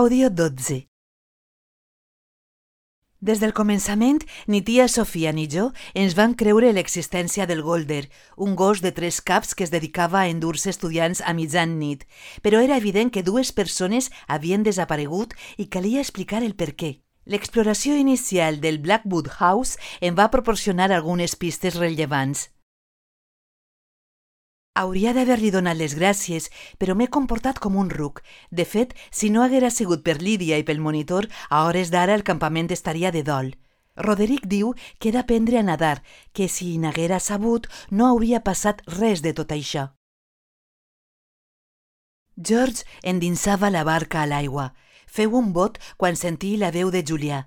Àudio 12. Des del començament, ni tia Sofia ni jo ens vam creure l'existència del Golder, un gos de 3 caps que es dedicava a endur-se estudiants a mitjan nit, però era evident que 2 persones havien desaparegut i calia explicar el per què. L'exploració inicial del Blackwood House em va proporcionar algunes pistes rellevants. Hauria d'haver-li donat les gràcies, però m'he comportat com un ruc. De fet, si no haguera sigut per Lídia i pel monitor, a hores d'ara el campament estaria de dol. Roderick diu que he d'aprendre a nedar, que si n'haguera sabut no hauria passat res de tot això. George endinsava la barca a l'aigua. Feu un bot quan sentí la veu de Julià.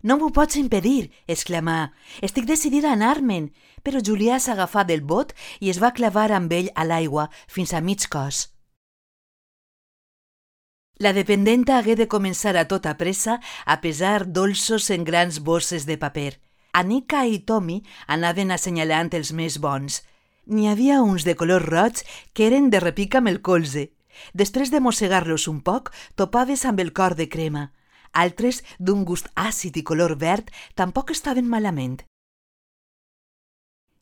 «No m'ho pots impedir!», exclamà. «Estic decidida a anar-me'n!», però Julià s'agafà del bot i es va clavar amb ell a l'aigua fins a mig cos. La dependenta hagué de començar a tota pressa a pesar dolços en grans bosses de paper. Annika i Tommy anaven assenyalant els més bons. N'hi havia uns de color roig que eren de repic amb el colze. Després de mossegar-los un poc, topaves amb el cor de crema. Altres, d'un gust àcid i color verd, tampoc estaven malament.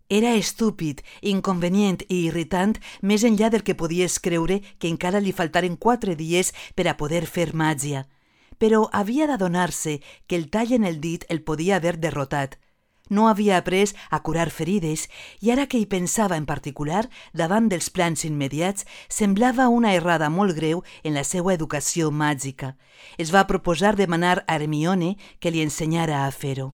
Era estúpid, inconvenient i irritant més enllà del que podies creure que encara li faltaren 4 dies per a poder fer màgia. Però havia d'adonar-se que el tall en el dit el podia haver derrotat. No havia après a curar ferides i ara que hi pensava en particular, davant dels plans immediats, semblava una errada molt greu en la seva educació màgica. Es va proposar demanar a Hermione que li ensenyara a fer-ho.